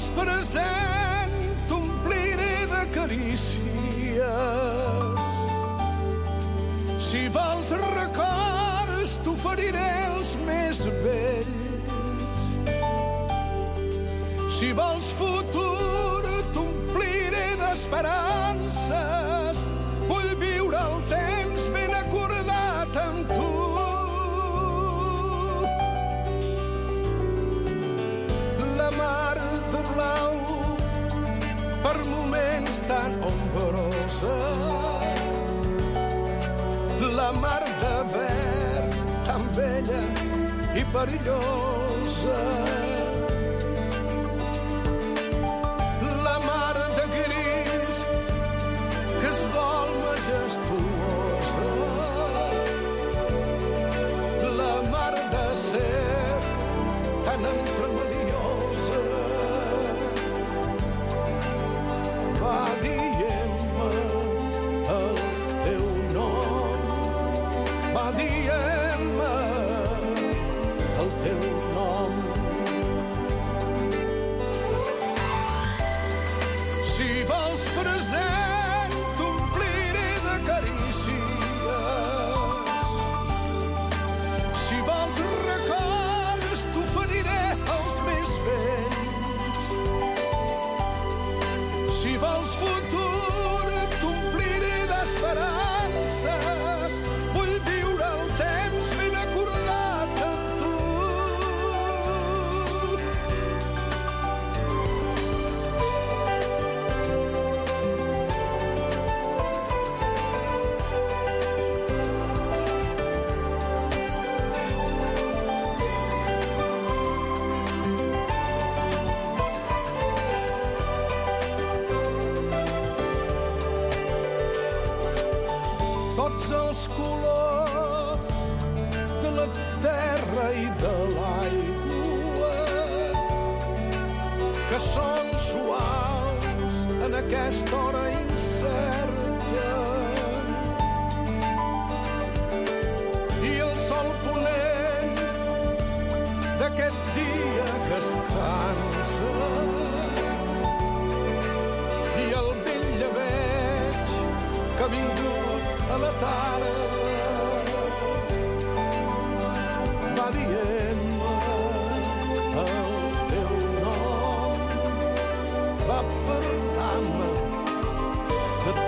vols present, t'ompliré de carícies. Si vols records, t'oferiré els més vells. Si vols futur, t'ompliré d'esperances. Vull viure el temps ben acordat amb tu. La mar de blau, per moments tan ombrosa. La mar de verd, tan bella i perillosa. La mar de gris, que es vol majestuosa. La mar de ser, tan entremediosa. Va dient-me el teu nom. Va dient-me el teu nom. Si vols present, t'ompliré de carícies. Si vols records, t'oferiré els més vells. Si vols futur, t'ompliré d'esperances. Vull viure el temps ben acordat amb tu. Tots els colors de la terra i de l'aigua que són suaus en aquesta hora incerta. I el sol ponent d'aquest dia que es cansa. I el vell llebeig que ha vingut a la tarda. Va dient-me el teu nom. Va parlar-me de tu.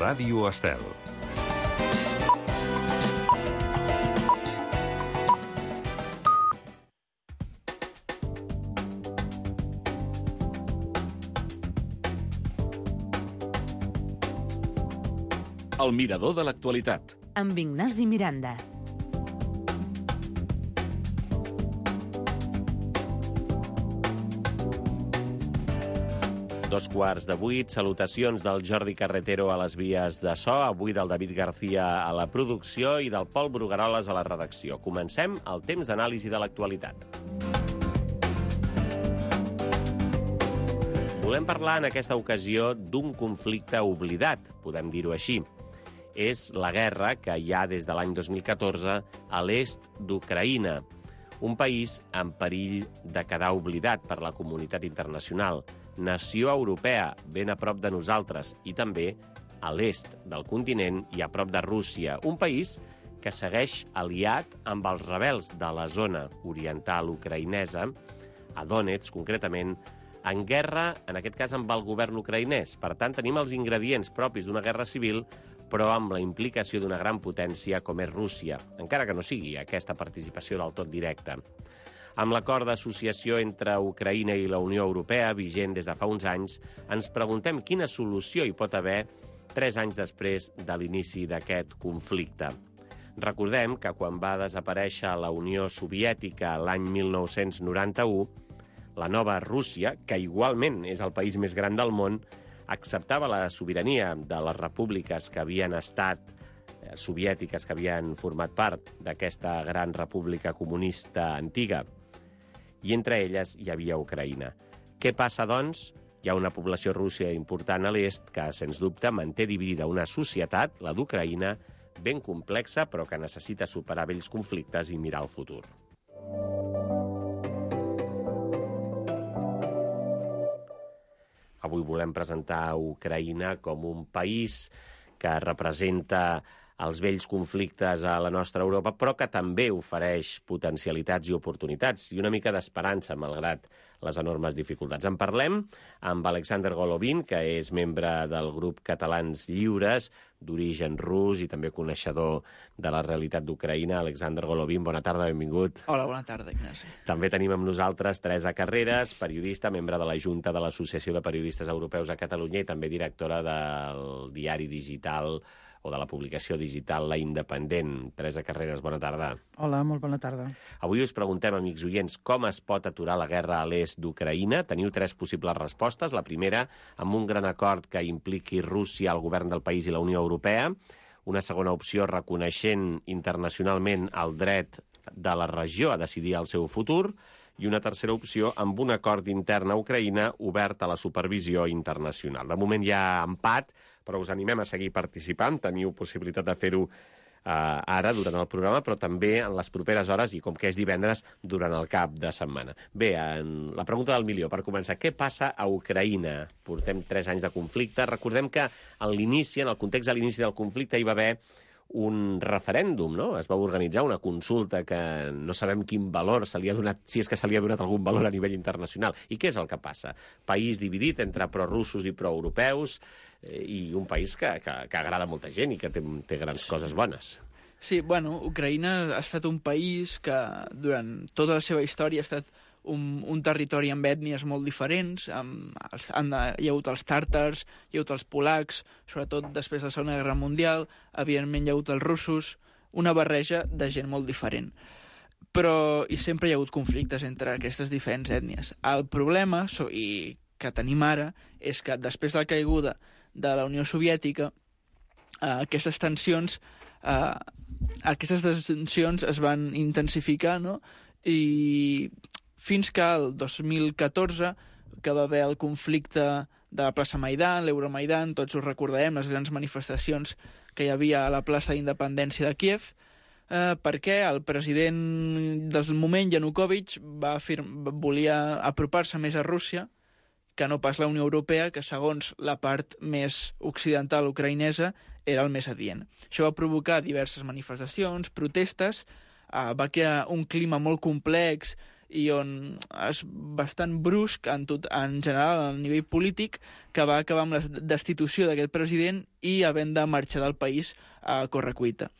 Ràdio Estel. El mirador de l'actualitat. Amb Ignasi Miranda. Dos quarts de 8, salutacions del Jordi Carretero a les vies de so, avui del David García a la producció i del Pol Brugueroles a la redacció. Comencem el temps d'anàlisi de l'actualitat. Volem parlar en aquesta ocasió d'un conflicte oblidat, podem dir-ho així. És la guerra que hi ha des de l'any 2014 a l'est d'Ucraïna, un país en perill de quedar oblidat per la comunitat internacional, nació europea, ben a prop de nosaltres, i també a l'est del continent i a prop de Rússia, un país que segueix aliat amb els rebels de la zona oriental ucraïnesa, a Donetsk concretament, en guerra, en aquest cas amb el govern ucraïnès. Per tant, tenim els ingredients propis d'una guerra civil, però amb la implicació d'una gran potència com és Rússia, encara que no sigui aquesta participació del tot directa. Amb l'acord d'associació entre Ucraïna i la Unió Europea, vigent des de fa uns anys, ens preguntem quina solució hi pot haver 3 anys després de l'inici d'aquest conflicte. Recordem que quan va desaparèixer la Unió Soviètica l'any 1991, la nova Rússia, que igualment és el país més gran del món, acceptava la sobirania de les repúbliques que havien estat soviètiques, que havien format part d'aquesta gran república comunista antiga, i entre elles hi havia Ucraïna. Què passa, doncs? Hi ha una població russa important a l'est que, sens dubte, manté dividida una societat, la d'Ucraïna, ben complexa, però que necessita superar vells conflictes i mirar al futur. Avui volem presentar Ucraïna com un país que representa els vells conflictes a la nostra Europa, però que també ofereix potencialitats i oportunitats i una mica d'esperança, malgrat les enormes dificultats. En parlem amb Alexander Golovin, que és membre del grup Catalans Lliures, d'origen rus i també coneixedor de la realitat d'Ucraïna. Alexander Golovin, bona tarda, benvingut. Hola, bona tarda, Ignasi. També tenim amb nosaltres Teresa Carreras, periodista, membre de la Junta de l'Associació de Periodistes Europeus a Catalunya i també directora del diari digital o de la publicació digital La Independent. Teresa Carreras, bona tarda. Hola, molt bona tarda. Avui us preguntem, amics oients, com es pot aturar la guerra a l'est d'Ucraïna. Teniu 3 possibles respostes. La primera, amb un gran acord que impliqui Rússia, el govern del país i la Unió Europea. Una segona opció, reconeixent internacionalment el dret de la regió a decidir el seu futur. I una tercera opció, amb un acord intern a Ucraïna obert a la supervisió internacional. De moment hi ha empat, però us animem a seguir participant. Teniu possibilitat de fer-ho ara, durant el programa, però també en les properes hores, i com que és divendres, durant el cap de setmana. Bé, la pregunta del milió, per començar, què passa a Ucraïna? Portem 3 anys de conflicte. Recordem que en l'inici, en el context de l'inici del conflicte, hi va haver un referèndum, no? Es va organitzar una consulta que no sabem quin valor se li ha donat, si és que se li ha donat algun valor a nivell internacional. I què és el que passa? País dividit entre prorussos i proeuropeus i un país que agrada a molta gent i que té grans coses bones. Sí, bueno, Ucraïna ha estat un país que durant tota la seva història ha estat un territori amb ètnies molt diferents. Hi ha hagut els tàrtars, hi ha hagut els polacs, sobretot després de la Segona Guerra Mundial, evidentment hi ha hagut els russos, una barreja de gent molt diferent. Però i sempre hi ha hagut conflictes entre aquestes diferents ètnies. El problema, i que tenim ara, és que després de la caiguda de la Unió Soviètica, aquestes tensions es van intensificar, no? I fins que el 2014, que va haver el conflicte de la plaça Maidan, l'Euromaidan, tots ho recordarem, les grans manifestacions que hi havia a la plaça d'Independència de Kíev, perquè el president del moment, Yanukovych, volia apropar-se més a Rússia que no pas la Unió Europea, que segons la part més occidental ucraïnesa era el més adient. Això va provocar diverses manifestacions, protestes, va crear un clima molt complex i és bastant brusc en general a nivell polític, que va acabar amb la destitució d'aquest president i havent de marxar del país a correcuita.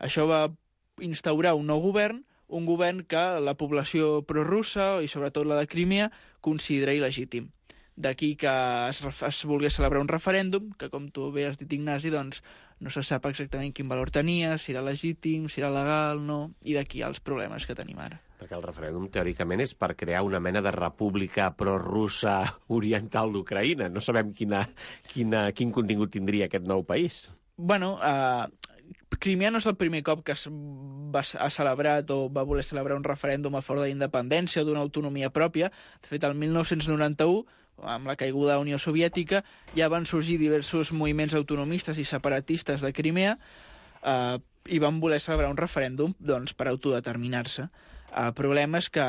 Això va instaurar un nou govern, un govern que la població prorussa i sobretot la de Crimea considera il·legítim. d'aquí que es volgués celebrar un referèndum, que com tu bé has dit, Ignasi, doncs no se sap exactament quin valor tenia, si era legítim, si era legal, no, i d'aquí els problemes que tenim ara. Perquè el referèndum, teòricament, és per crear una mena de república prorussa oriental d'Ucraïna. No sabem quin contingut tindria aquest nou país. Bueno, Crimea no és el primer cop que ha celebrat o va voler celebrar un referèndum a favor de la independència o d'una autonomia pròpia. De fet, el 1991, amb la caiguda de la Unió Soviètica, ja van sorgir diversos moviments autonomistes i separatistes de Crimea i van voler celebrar un referèndum doncs, per autodeterminar-se. El problema és que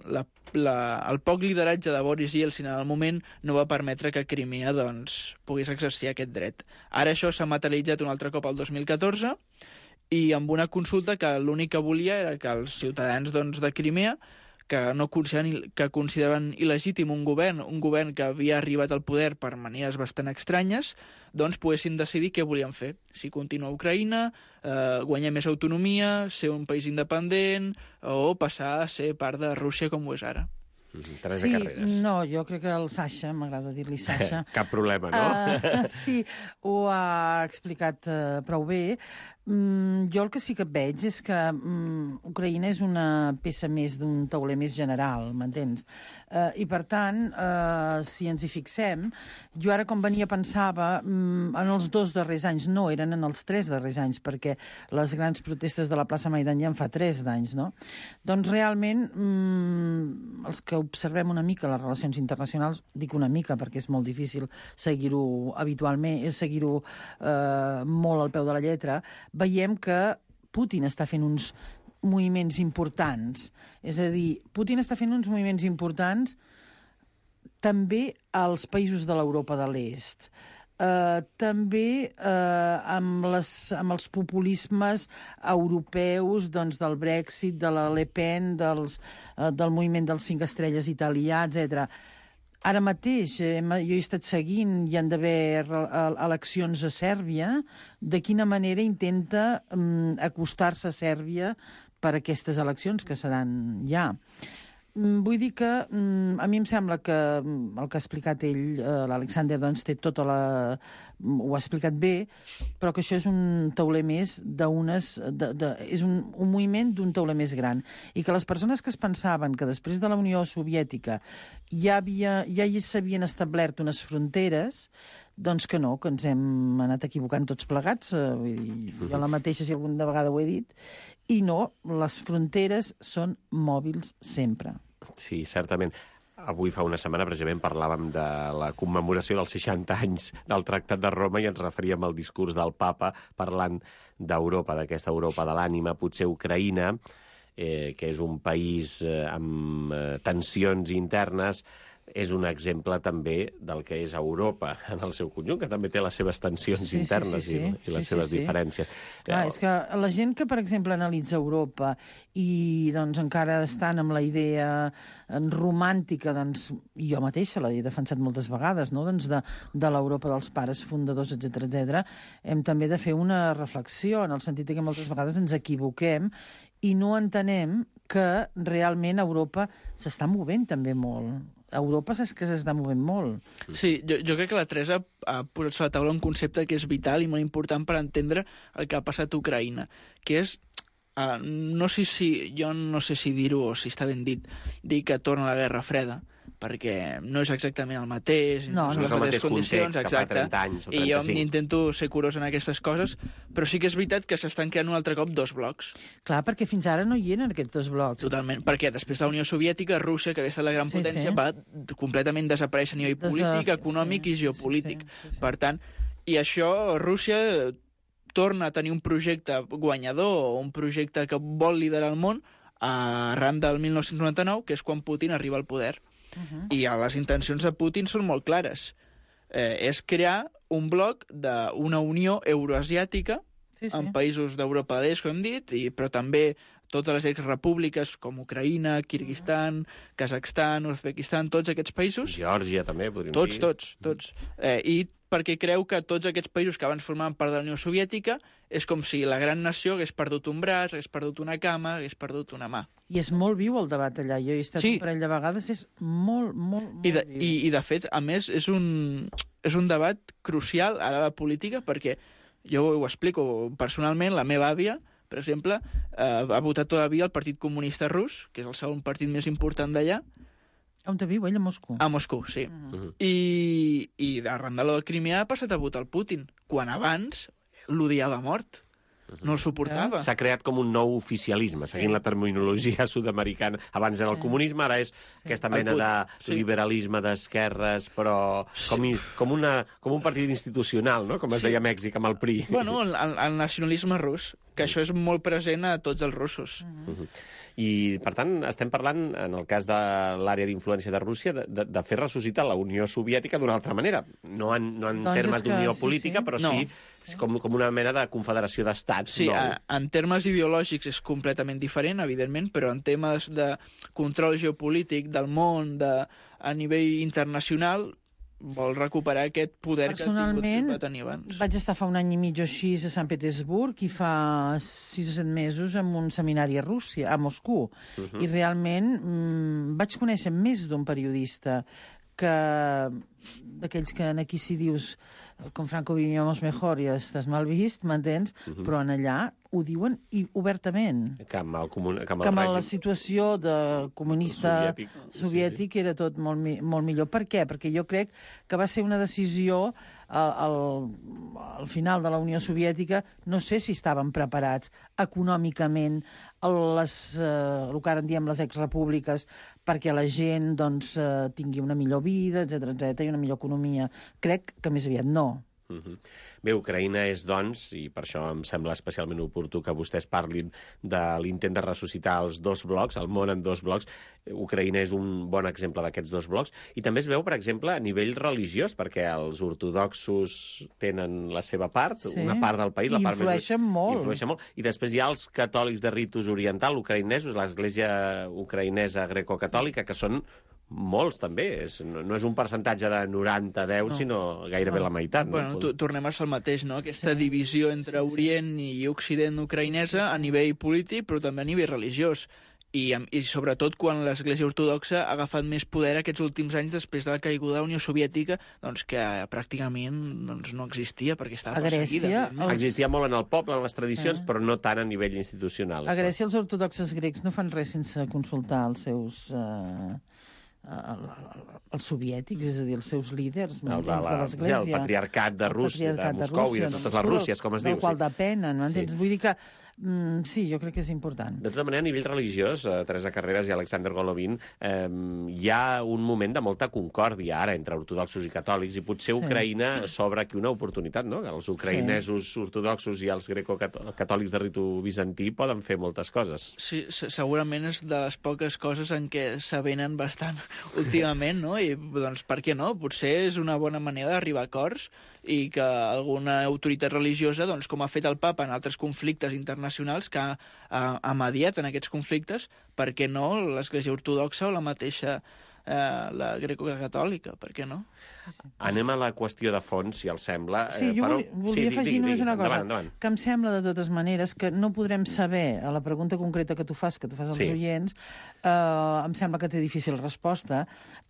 el poc lideratge de Boris Yeltsin en el moment no va permetre que Crimea doncs, pogués exercir aquest dret. Ara això s'ha materialitzat un altre cop el 2014 i amb una consulta que l'únic que volia era que els ciutadans doncs, de Crimea que consideraven il·legítim un govern que havia arribat al poder per maneres bastant estranyes, doncs poguessin decidir què volien fer. Si continuar a Ucraïna, guanyar més autonomia, ser un país independent o passar a ser part de Rússia com ho és ara. Teresa Carreras. No, jo crec que el Sasha, m'agrada dir-li Sasha. Cap problema, no? Sí, ho ha explicat prou bé. Jo el que sí que veig és que Ucraïna és una peça més d'un tauler més general, m'entens? I per tant, si ens hi fixem, jo ara com venia pensava en els 2 darrers anys, no, eren en els 3 darrers anys, perquè les grans protestes de la plaça Maidan ja en fa 3 d'anys, no? Doncs realment, els que observem una mica les relacions internacionals, dic una mica perquè és molt difícil seguir-ho habitualment, seguir-ho molt al peu de la lletra, veiem que Putin està fent uns moviments importants. És a dir, Putin està fent uns moviments importants també als països de l'Europa de l'Est. També amb els populismes europeus doncs, del Brexit, de la Le Pen, del moviment dels 5 estrelles italià, etc. Ara mateix, jo he estat seguint, hi han d'haver eleccions a Sèrbia, de quina manera intenta acostar-se a Sèrbia per aquestes eleccions que seran ja. Vull dir que a mi em sembla que el que ha explicat ell, l'Alexander, doncs té tota ho ha explicat bé, però que això és un tauler més és un moviment d'un tauler més gran. I que les persones que es pensaven que després de la Unió Soviètica ja s'havien establert unes fronteres, doncs que no, que ens hem anat equivocant tots plegats, jo la mateixa si alguna vegada ho he dit, i no, les fronteres són mòbils sempre. Sí, certament. Avui fa una setmana precisament parlàvem de la commemoració dels 60 anys del Tractat de Roma i ens referíem al discurs del papa parlant d'Europa, d'aquesta Europa de l'ànima, potser Ucraïna, que és un país amb tensions internes, és un exemple també del que és Europa en el seu conjunt, que també té les seves tensions internes i les seves diferències. Clar, és que la gent que, per exemple, analitza Europa i doncs, encara estan amb la idea romàntica, doncs, jo mateixa l'he defensat moltes vegades, no? Doncs de l'Europa dels pares fundadors, etc., hem també de fer una reflexió, en el sentit que moltes vegades ens equivoquem i no entenem que realment Europa s'està movent també molt. Europa és que s'està movent molt. Sí, jo crec que la Teresa ha posat sobre la taula un concepte que és vital i molt important per entendre el que ha passat a Ucraïna, que és, jo no sé si dir-ho o si està ben dit, dir que torna la Guerra Freda, perquè no és exactament el mateix, no és el mateix context que fa 30 anys o 35. I jo intento ser curós en aquestes coses, però sí que és veritat que s'estan creant un altre cop 2 blocs. Clar, perquè fins ara no hi eren aquests 2 blocs. Totalment, perquè després de la Unió Soviètica, Rússia, que havia estat la gran potència, va completament desaparèixer a nivell polític, econòmic i geopolític. Per tant, i això, Rússia torna a tenir un projecte guanyador o un projecte que vol liderar el món arran del 1999, que és quan Putin arriba al poder. I les intencions de Putin són molt clares. És crear un bloc d'una unió euroasiàtica en països d'Europa de l'Est, com hem dit, però també totes les exrepúbliques com Ucraïna, Kirguistan, Kazakhstan, Uzbekistan, tots aquests països. Geòrgia també, podríem dir. Tots. I perquè creu que tots aquests països que abans formaven part de la Unió Soviètica és com si la gran nació hagués perdut un braç, hagués perdut una cama, hagués perdut una mà. I és molt viu el debat allà. Jo he estat un parell de vegades, és molt viu. I de fet, a més, és un debat crucial ara a la política, perquè jo ho explico personalment, la meva àvia, per exemple, ha votat tota la vida el Partit Comunista Rus, que és el segon partit més important d'allà. On viu ell? A Moscou? A Moscou, sí. I arran de la Crimea ha passat a votar el Putin, quan abans l'odiava a mort. No el suportava. S'ha creat com un nou oficialisme, seguint la terminologia sud-americana. Abans era el comunisme, ara és aquesta mena de liberalisme d'esquerres, però com un partit institucional, no? Com es deia a Mèxic, amb el PRI. Bueno, el nacionalisme rus, que això és molt present a tots els russos. I, per tant, estem parlant, en el cas de l'àrea d'influència de Rússia, de fer ressuscitar la Unió Soviètica d'una altra manera. No en termes d'unió política, però sí com una mena de confederació d'estats. Sí, en termes ideològics és completament diferent, evidentment, però en temes de control geopolític del món a nivell internacional vol recuperar aquest poder que va tenir abans. Personalment, vaig estar fa un any i mig o així a Sant Petersburg i fa 6 o 7 mesos en un seminari a Rússia, a Moscou. I realment vaig conèixer més d'un periodista que d'aquells que aquí si dius com Franco vivíamos mejor i estàs mal vist, m'entens? Però en allà ho diuen obertament. Que amb la situació de comunista soviètic era tot molt millor. Per què? Perquè jo crec que va ser una decisió al final de la Unió Soviètica, no sé si estaven preparats econòmicament el que ara en diem les exrepúbliques perquè la gent tingui una millor vida, etc i una millor economia. Crec que més aviat no. Bé, Ucraïna és, doncs, i per això em sembla especialment oportú que vostès parlin de l'intent de ressuscitar els dos blocs, el món en dos blocs. Ucraïna és un bon exemple d'aquests dos blocs. I també es veu, per exemple, a nivell religiós, perquè els ortodoxos tenen la seva part, una part del país, la part més... Influeixen molt. I després hi ha els catòlics de ritus oriental, ucraïnesos, l'església ucraïnesa greco-catòlica, que són molts, també. No és un percentatge de 90-10, sinó gairebé la meitat. Bueno, tornem a ser el mateix, no? Aquesta divisió entre Orient i Occident ucraïnesa a nivell polític, però també a nivell religiós. I sobretot quan l'Església Ortodoxa ha agafat més poder aquests últims anys després de la caiguda de la Unió Soviètica, que pràcticament no existia perquè estava perseguida. Existia molt en el poble, en les tradicions, però no tant a nivell institucional. A Grècia els ortodoxes grecs no fan res sense consultar els seus... els soviètics, és a dir, els seus líders de l'Església. El patriarcat de Rússia, de Moscou i de totes les Rússies, com es diu. Del qual depenen, no entens? Vull dir que sí, jo crec que és important. De tota manera, a nivell religiós, Teresa Carreras i Alexander Golovin, hi ha un moment de molta concòrdia ara entre ortodoxos i catòlics, i potser Ucraïna s'obre aquí una oportunitat, no? Els ucraïnesos ortodoxos i els greco-catòlics de ritu bizantí poden fer moltes coses. Sí, segurament és de les poques coses en què s'avenen bastant últimament, no? I, doncs, per què no? Potser és una bona manera d'arribar a acords i que alguna autoritat religiosa, doncs, com ha fet el papa en altres conflictes internacionals, que ha mediat en aquests conflictes, per què no l'Església Ortodoxa o la mateixa la greco-catòlica, per què no? Anem a la qüestió de fons, si els sembla. Sí, jo volia afegir només una cosa, endavant. que em sembla de totes maneres que no podrem saber, a la pregunta concreta que tu fas als oients, em sembla que té difícil resposta,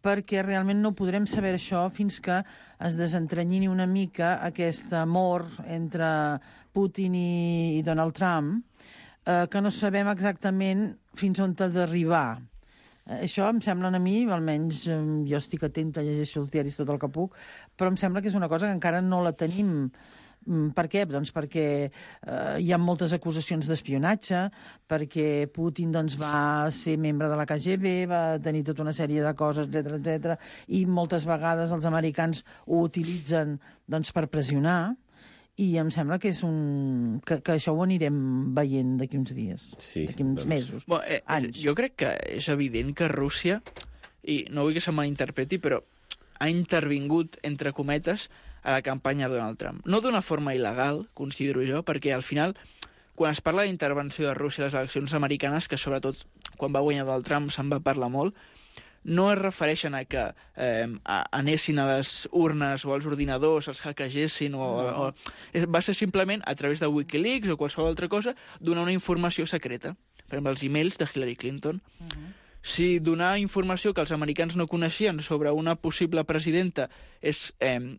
perquè realment no podrem saber això fins que es desentranyini una mica aquest amor entre Putin i Donald Trump, que no sabem exactament fins on ha d'arribar. Això em sembla a mi, almenys jo estic atenta, llegeixo els diaris tot el que puc, però em sembla que és una cosa que encara no la tenim. Per què? Doncs perquè hi ha moltes acusacions d'espionatge, perquè Putin va ser membre de la KGB, va tenir tota una sèrie de coses, etc, i moltes vegades els americans ho utilitzen per pressionar, i em sembla que és que això ho anirem veient d'aquí uns dies, d'aquí uns mesos, anys. Jo crec que és evident que Rússia, i no vull que se malinterpreti, però ha intervingut, entre cometes, a la campanya de Donald Trump. No d'una forma il·legal, considero jo, perquè al final, quan es parla d'intervenció de Rússia a les eleccions americanes, que sobretot quan va guanyar Donald Trump se'n va parlar molt, no es refereixen a que anessin a les urnes o als ordinadors, els hackegessin, va ser simplement a través de Wikileaks o qualsevol altra cosa donar una informació secreta. Per exemple, els emails de Hillary Clinton. Si donar informació que els americans no coneixien sobre una possible presidenta és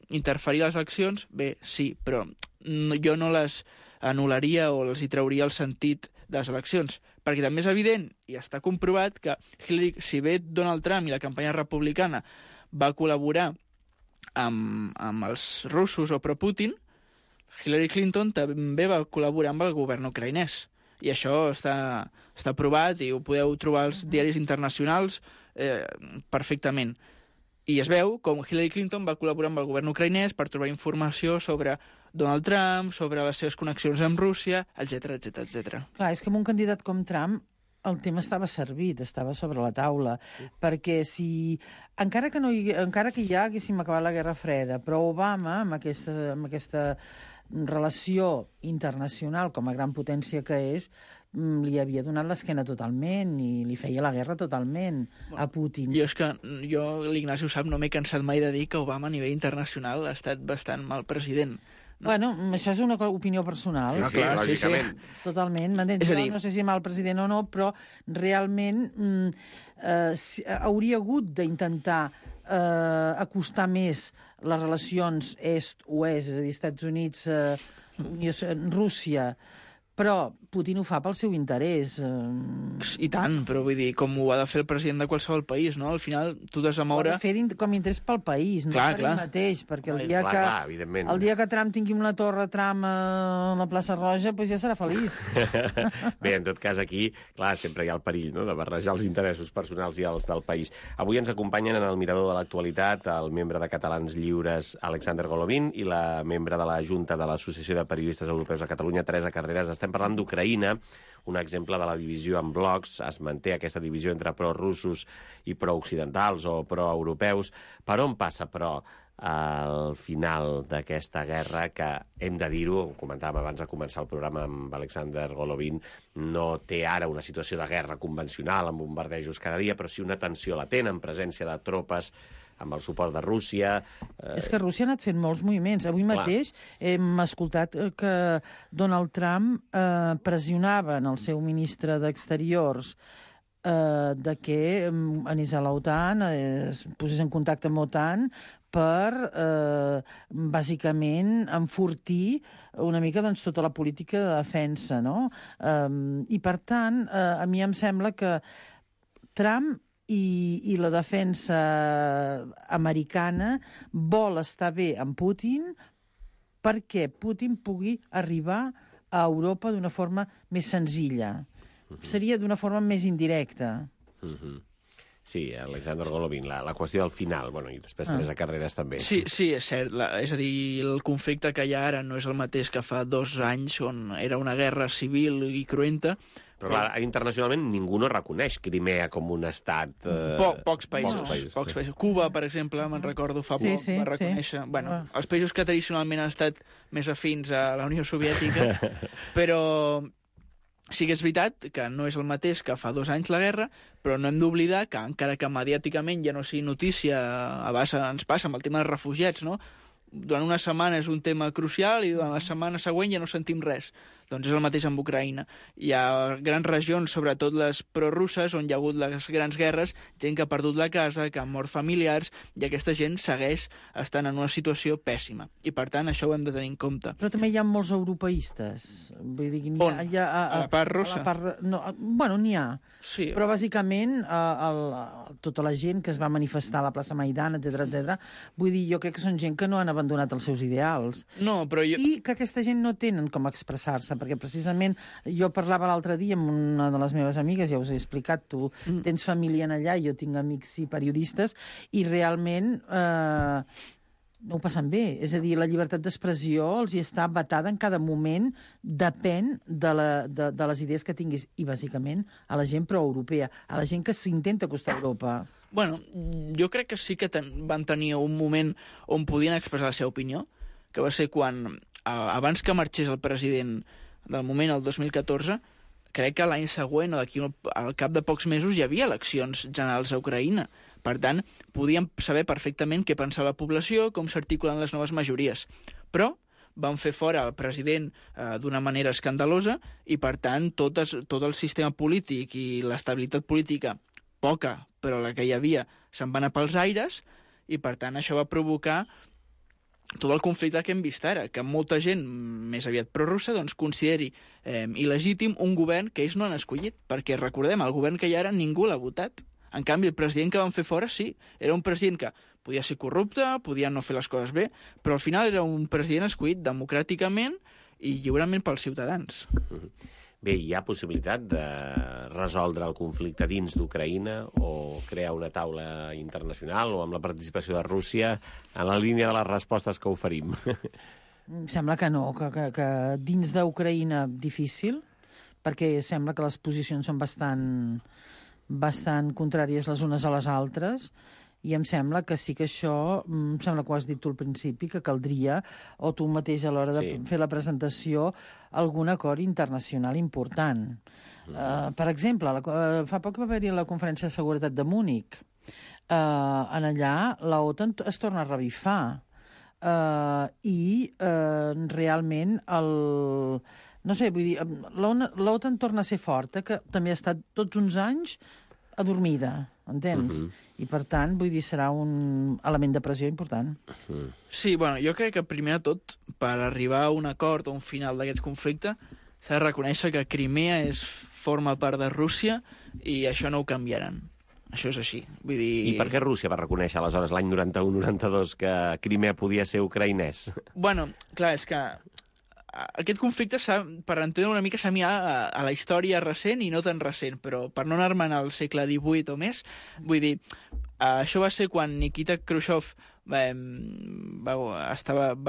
interferir a les eleccions, bé, sí, però jo no les anul·laria o els hi trauria el sentit de les eleccions, perquè també és evident i està comprovat que Hillary, si bé Donald Trump i la campanya republicana va col·laborar amb els russos o pro-Putin, Hillary Clinton també va col·laborar amb el govern ucraïnès. I això està provat i ho podeu trobar als diaris internacionals perfectament. I es veu com Hillary Clinton va col·laborar amb el govern ucraïnès per trobar informació sobre Donald Trump, sobre les seves connexions amb Rússia, etc etc. Clar, és que amb un candidat com Trump el tema estava servit, estava sobre la taula, perquè si... Encara que ja haguéssim acabat la Guerra Freda, però Obama, amb aquesta relació internacional com a gran potència que és, li havia donat l'esquena totalment i li feia la guerra totalment a Putin. L'Ignasi ho sap, no m'he cansat mai de dir que Obama a nivell internacional ha estat bastant mal president. Bueno, això és una opinió personal. Sí, clar, lògicament. Sí. Totalment, m'entens? No sé si mal president o no, però realment hauria hagut d'intentar acostar més les relacions est-oest, és a dir, Estats Units, Rússia, però Putin ho fa pel seu interès. I tant, però vull dir, com ho ha de fer el president de qualsevol país, no? Al final, tu has de moure... Ho ha de fer com a interès pel país, no per ell mateix, perquè el dia que Trump tingui una torre Trump a la plaça Roja, doncs ja serà feliç. Bé, en tot cas, aquí, clar, sempre hi ha el perill, no?, de barrejar els interessos personals i els del país. Avui ens acompanyen en el mirador de l'actualitat el membre de Catalans Lliures, Alexander Golovin, i la membre de la Junta de l'Associació de Periodistes Europeus de Catalunya, Teresa Carreras. Estem parlant d'Ucraïna, un exemple de la divisió en blocs. Es manté aquesta divisió entre prorussos i prooccidentals o proeuropeus. Per on passa, però, al final d'aquesta guerra, que hem de dir-ho, ho comentàvem abans de començar el programa amb Alexander Golovin, no té ara una situació de guerra convencional amb bombardejos cada dia, però sí una tensió latent en presència de tropes amb el suport de Rússia. És que Rússia ha anat fent molts moviments. Avui mateix hem escoltat que Donald Trump pressionava en el seu ministre d'Exteriors de que anés a l'OTAN, es posés en contacte amb l'OTAN per, bàsicament, enfortir una mica tota la política de defensa, no? I, per tant, a mi em sembla que Trump i la defensa americana vol estar bé amb Putin perquè Putin pugui arribar a Europa d'una forma més senzilla. Seria d'una forma més indirecta. Sí, Alexander Golovin, la qüestió del final, bueno, i després Teresa Carreras també. Sí, és cert. És a dir, el conflicte que hi ha ara no és el mateix que fa 2 anys, on era una guerra civil i cruenta. Però clar, internacionalment ningú no reconeix Crimea com un estat... Pocs països. Cuba, per exemple, me'n recordo fa poc, va reconèixer... Bueno, els països que tradicionalment han estat més afins a la Unió Soviètica, però sí que és veritat que no és el mateix que fa 2 anys la guerra, però no hem d'oblidar que, encara que mediàticament ja no sigui notícia, a base ens passa amb el tema dels refugiats, no? Durant una setmana és un tema crucial i durant la setmana següent ja no sentim res. Doncs és el mateix amb Ucraïna. Hi ha grans regions, sobretot les prorusses, on hi ha hagut les grans guerres, gent que ha perdut la casa, que ha mort familiars, i aquesta gent segueix estant en una situació pèssima. I, per tant, això ho hem de tenir en compte. Però també hi ha molts europeistes. Vull dir, a la part russa? Bueno, n'hi ha. Sí. Però, bàsicament, tota la gent que es va manifestar a la plaça Maidan, etc., vull dir, jo crec que són gent que no han abandonat els seus ideals. No, però I que aquesta gent no tenen com expressar-se, perquè precisament jo parlava l'altre dia amb una de les meves amigues, ja us he explicat, tu tens família allà, jo tinc amics i periodistes, i realment no ho passen bé. És a dir, la llibertat d'expressió els hi està vetada en cada moment, depèn de les idees que tinguis, i bàsicament a la gent proeuropea, a la gent que s'intenta acostar a Europa. Bueno, jo crec que sí que van tenir un moment on podien expressar la seva opinió, que va ser quan, abans que marxés el president del moment, el 2014, crec que l'any següent o al cap de pocs mesos hi havia eleccions generals a Ucraïna. Per tant, podíem saber perfectament què pensava la població, com s'articulen les noves majories. Però van fer fora el president d'una manera escandalosa i, per tant, tot el sistema polític i l'estabilitat política, poca, però la que hi havia, se'n va anar pels aires i, per tant, això va provocar tot el conflicte que hem vist ara, que molta gent, més aviat prorussa, doncs consideri il·legítim un govern que ells no han escollit, perquè recordem, el govern que hi ha ara ningú l'ha votat. En canvi, el president que van fer fora, sí, era un president que podia ser corrupte, podia no fer les coses bé, però al final era un president escollit democràticament i lliurement pels ciutadans. Bé, hi ha possibilitat de resoldre el conflicte dins d'Ucraïna o crear una taula internacional o amb la participació de Rússia en la línia de les respostes que oferim? Em sembla que no, que dins d'Ucraïna difícil, perquè sembla que les posicions són bastant contràries les unes a les altres, i em sembla que sí que això, em sembla que ho has dit tu al principi, que caldria, o tu mateix a l'hora de fer la presentació, algun acord internacional important. Per exemple, fa poc va haver-hi la Conferència de Seguretat de Múnich. En allà l'OTAN es torna a revifar i realment no sé, vull dir, l'OTAN torna a ser forta, que també ha estat tots uns anys adormida, entens? I, per tant, vull dir, serà un element de pressió important. Sí, bueno, jo crec que primer de tot, per arribar a un acord o un final d'aquest conflicte, s'ha de reconèixer que Crimea forma part de Rússia i això no ho canviaran. Això és així. Vull dir... I per què Rússia va reconèixer aleshores l'any 91-92 que Crimea podia ser ucraïnès? Bueno, clar, és que aquest conflicte, per entendre una mica, s'ha mirat a la història recent i no tan recent, però per no anar-me'n al segle XVIII o més, vull dir, això va ser quan Nikita Khrushchev va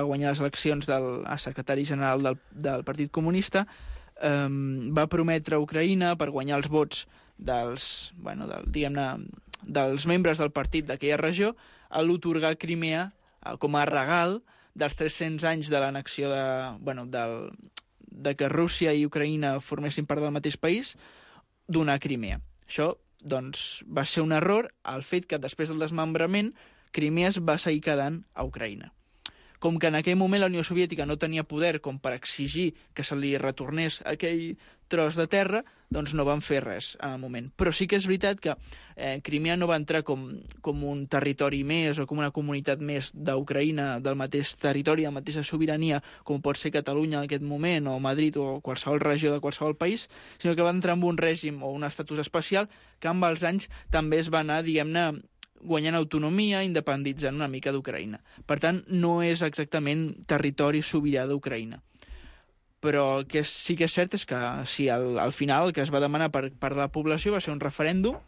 guanyar les eleccions a secretari general del Partit Comunista, va prometre a Ucraïna, per guanyar els vots dels membres del partit d'aquella regió, a l'otorgar Crimea com a regal dels 300 anys de l'annexió de que Rússia i Ucraïna formessin part del mateix país, donar Crimea. Això, doncs, va ser un error, el fet que després del desmembrament Crimea es va seguir quedant a Ucraïna. Com que en aquell moment la Unió Soviètica no tenia poder com per exigir que se li retornés aquell tros de terra, doncs no van fer res en el moment. Però sí que és veritat que Crimea no va entrar com un territori més o com una comunitat més d'Ucraïna, del mateix territori, de la mateixa sobirania, com pot ser Catalunya en aquest moment, o Madrid, o qualsevol regió de qualsevol país, sinó que va entrar en un règim o un estatus especial que amb els anys també es va anar, diguem-ne, guanyant autonomia, independitzant una mica d'Ucraïna. Per tant, no és exactament territori sobirà d'Ucraïna. Però el que sí que és cert és que sí, al final el que es va demanar per part de la població va ser un referèndum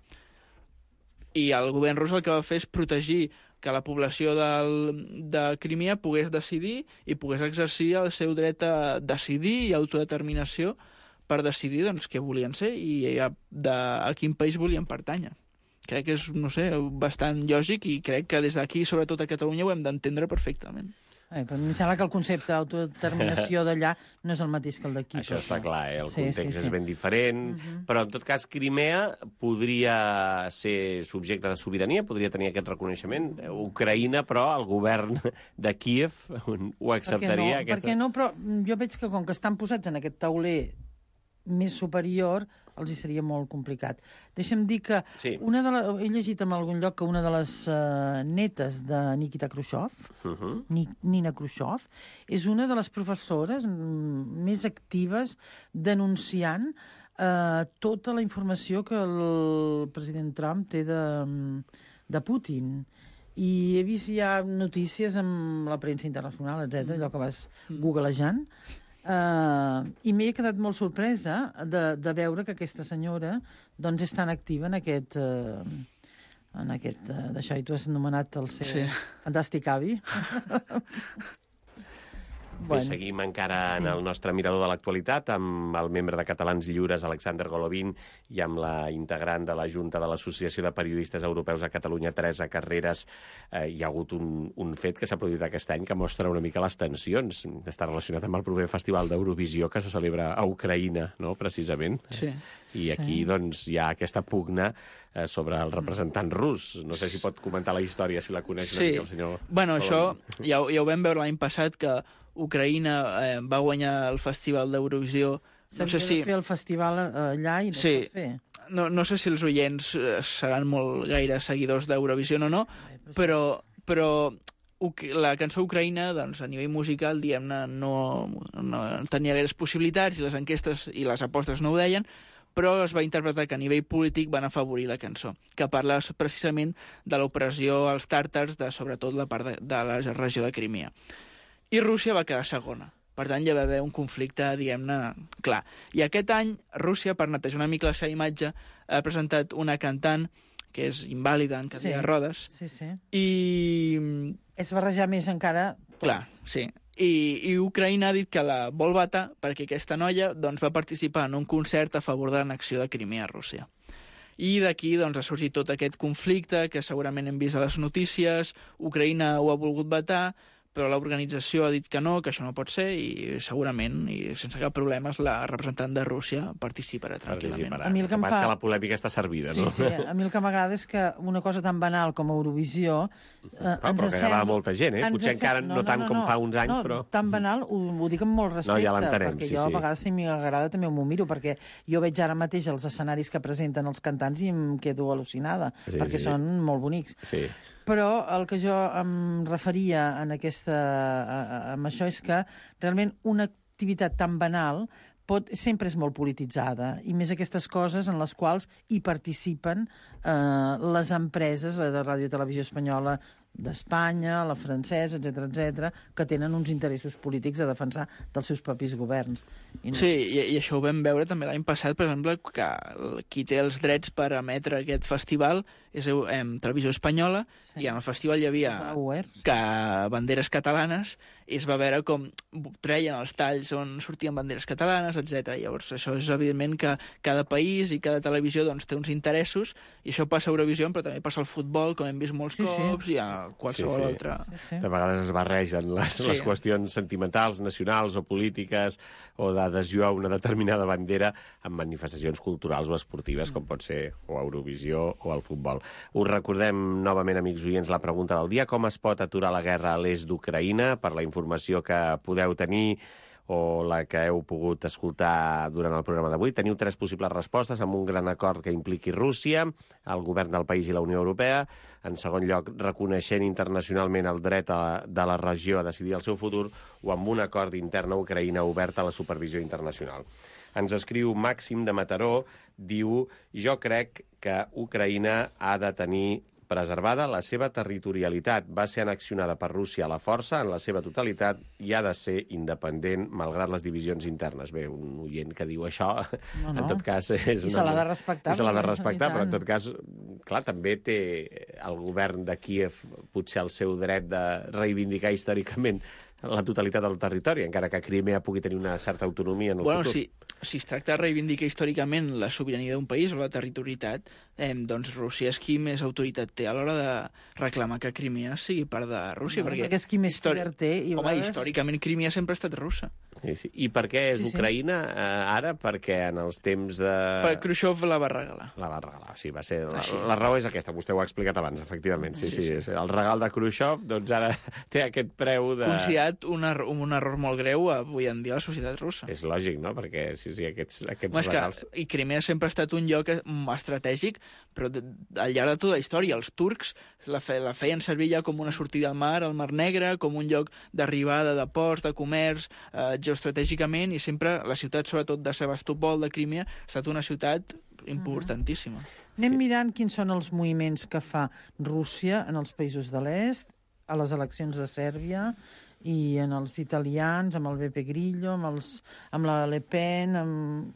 i el govern rus el que va fer és protegir que la població de Crimea pogués decidir i pogués exercir el seu dret a decidir i autodeterminació per decidir doncs, què volien ser i a quin país volien pertànyer. Crec que és, no sé, bastant lògic i crec que des d'aquí, sobretot a Catalunya, ho hem d'entendre perfectament. Però em sembla que el concepte d'autodeterminació d'allà no és el mateix que el d'aquí. Això està clar, el context és ben diferent, però en tot cas Crimea podria ser subjecte de sobirania, podria tenir aquest reconeixement. Ucraïna, però, el govern de Kíev ho acceptaria? Per què no? Però jo veig que com que estan posats en aquest tauler més superior, els hi seria molt complicat. Deixa'm dir que he llegit en algun lloc que una de les netes de Nikita Khrushchev, Nina Khrushchev, és una de les professores més actives denunciant tota la informació que el president Trump té de Putin. I he vist ja notícies amb la premsa internacional, etc., allò que vas googlejant, i m'he quedat molt sorpresa de veure que aquesta senyora doncs, és tan activa en aquest d'això, i tu has anomenat el seu fantàstic avi. Bé, seguim encara en el nostre mirador de l'actualitat amb el membre de Catalans Lliures, Alexander Golovin, i amb la integrant de la Junta de l'Associació de Periodistes Europeus a Catalunya, Teresa Carreras. Hi ha hagut un fet que s'ha produït aquest any que mostra una mica les tensions. Està relacionat amb el proper Festival d'Eurovisió que se celebra a Ucraïna, no?, precisament. Sí. I aquí, doncs, hi ha aquesta pugna sobre el representant rus. No sé si pot comentar la història, si la coneix una mica el senyor... Bueno, això ja ho vam veure l'any passat, que Ucraïna va guanyar el Festival d'Eurovisió. No sé si... de fer el festival allà i no es pot fer. No sé si els oients seran molt gaire seguidors d'Eurovisió o no, però la cançó Ucraïna, doncs, a nivell musical, diguem-ne, no tenia gaires possibilitats, i les enquestes i les apostes no ho deien, però es va interpretar que a nivell polític van afavorir la cançó, que parla precisament de l'opressió als tàrtars, sobretot la part de la regió de Crimea. I Rússia va quedar segona. Per tant, hi va haver un conflicte, diguem-ne, clar. I aquest any, Rússia, per netejar una mica la seva imatge, ha presentat una cantant que és invàlida en cadira de rodes. Sí. I... És barrejar més encara... Clar, sí. I Ucraïna ha dit que la vol vetar perquè aquesta noia doncs, va participar en un concert a favor de l'annexió de Crimea a Rússia. I d'aquí doncs, ha sorgit tot aquest conflicte que segurament hem vist a les notícies. Ucraïna ho ha volgut vetar, però l'organització ha dit que no, que això no pot ser, i segurament, i sense cap problema, la representant de Rússia participarà tranquil·lament. A mi el que em fa... que la polèmica està servida, no? Sí, a mi el que m'agrada és que una cosa tan banal com Eurovisió... Però que agrada molta gent, Potser encara no tant com fa uns anys, però... Tan banal, ho dic amb molt respecte, ja l'entenem, perquè jo a vegades, si m'agrada, també m'ho miro, perquè jo veig ara mateix els escenaris que presenten els cantants i em quedo al·lucinada, perquè són molt bonics. Sí. Però el que jo em referia amb això és que realment una activitat tan banal sempre és molt polititzada, i més aquestes coses en les quals hi participen les empreses de Ràdio i Televisió Espanyola d'Espanya, la francesa, etc, que tenen uns interessos polítics a defensar dels seus propis governs. Sí, i això ho vam veure també l'any passat, per exemple, que qui té els drets per emetre aquest festival és Televisió Espanyola, i en el festival hi havia banderes catalanes, i es va veure com treien els talls on sortien banderes catalanes, etc. Llavors, això és evidentment que cada país i cada televisió doncs, té uns interessos, i això passa a Eurovisió, però també passa al futbol, com hem vist molts cops, i a qualsevol altra... De vegades es barregen les qüestions sentimentals, nacionals o polítiques, o d'adhesió a una determinada bandera amb manifestacions culturals o esportives, com pot ser o a Eurovisió o al futbol. Us recordem novament, amics oients, la pregunta del dia: com es pot aturar la guerra a l'est d'Ucraïna? Per la informació que podeu tenir o la que heu pogut escoltar durant el programa d'avui, teniu 3 possibles respostes amb un gran acord que impliqui Rússia, el govern del país i la Unió Europea. En segon lloc, reconeixent internacionalment el dret de la regió a decidir el seu futur, o amb un acord intern a Ucraïna obert a la supervisió internacional. Ens escriu Màxim de Mataró, diu: jo crec que Ucraïna ha de tenir preservada la seva territorialitat. Va ser annexionada per Rússia a la força en la seva totalitat i ha de ser independent malgrat les divisions internes. Bé, un oient que diu això, en tot cas... I se l'ha de respectar. I se l'ha de respectar, però en tot cas, clar, també té el govern de Kíev potser el seu dret de reivindicar històricament la totalitat del territori, encara que Crimea pugui tenir una certa autonomia en el futur. Si es tracta de reivindicar històricament la sobirania d'un país o la territorialitat, doncs Rússia és qui més autoritat té a l'hora de reclamar que Crimea sigui part de Rússia. Perquè és qui més poder té. Històricament Crimea sempre ha estat russa. Sí. I per què és Ucraïna ara? Perquè en els temps de... Per Khrushchev la va regalar. La va regalar, sí, va ser... La raó és aquesta, vostè ho ha explicat abans, efectivament. Sí. El regal de Khrushchev, doncs ara té aquest preu de... Considerat un error molt greu avui en dia a la societat russa. És lògic, no? Perquè aquests regals... I Crimea sempre ha estat un lloc estratègic, però al llarg de tota la història els turcs la feien servir ja com una sortida al Mar Negre, com un lloc d'arribada de ports, de comerç, geoestratègicament, i sempre la ciutat, sobretot de Sebastopol, de Crimea, ha estat una ciutat importantíssima. Anem mirant quins són els moviments que fa Rússia en els països de l'est, a les eleccions de Sèrbia i en els italians, amb el Beppe Grillo, amb la Le Pen...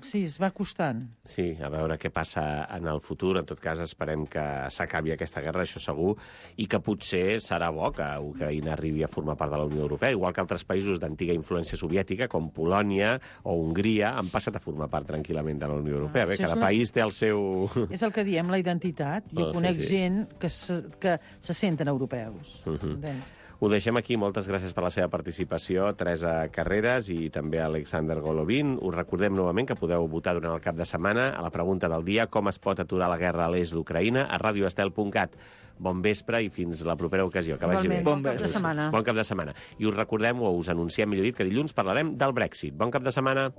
Sí, es va costant. Sí, a veure què passa en el futur. En tot cas, esperem que s'acabi aquesta guerra, això segur, i que potser serà bo que Ucraïna arribi a formar part de la Unió Europea, igual que altres països d'antiga influència soviètica, com Polònia o Hongria, han passat a formar part tranquil·lament de la Unió Europea. Bé, cada país té el seu... És el que diem, la identitat. Jo conec gent que se senten europeus. Entens? Ho deixem aquí. Moltes gràcies per la seva participació, Teresa Carreras i també Alexander Golovin. Us recordem novament que podeu votar durant el cap de setmana a la pregunta del dia: com es pot aturar la guerra a l'est d'Ucraïna, a radioestel.cat. Bon vespre i fins la propera ocasió. Que vagi bé. Bon cap de setmana. Bon cap de setmana. I us recordem, o us anunciem, millor dit, que dilluns parlarem del Brexit. Bon cap de setmana.